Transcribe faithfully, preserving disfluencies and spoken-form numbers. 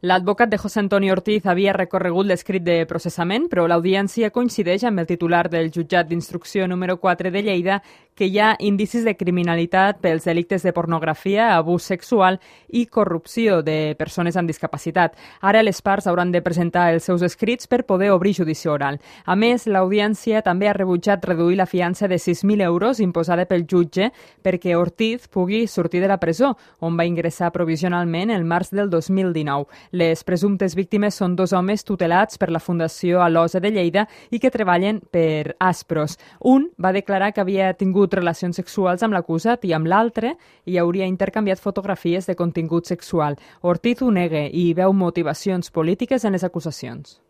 L'advocat de José Antonio Ortiz havia recorregut l'escrit de processament, però l'audiència coincideix amb el titular del jutjat d'instrucció número quatre de Lleida que hi ha indicis de criminalitat pels delictes de pornografia, abús sexual i corrupció de persones amb discapacitat. Ara les parts hauran de presentar els seus escrits per poder obrir judici oral. A més, l'audiència també ha rebutjat reduir la fiança de sis mil euros imposada pel jutge perquè Ortiz pugui sortir de la presó, on va ingressar provisionalment el març del dos mil dinou. Les presumptes víctimes són dos homes tutelats per la Fundació Alosa de Lleida i que treballen per Aspros. Un va declarar que havia tingut relacions sexuals amb l'acusat i amb l'altre hi hauria intercanviat fotografies de contingut sexual. Ortiz ho nega i veu motivacions polítiques en les acusacions.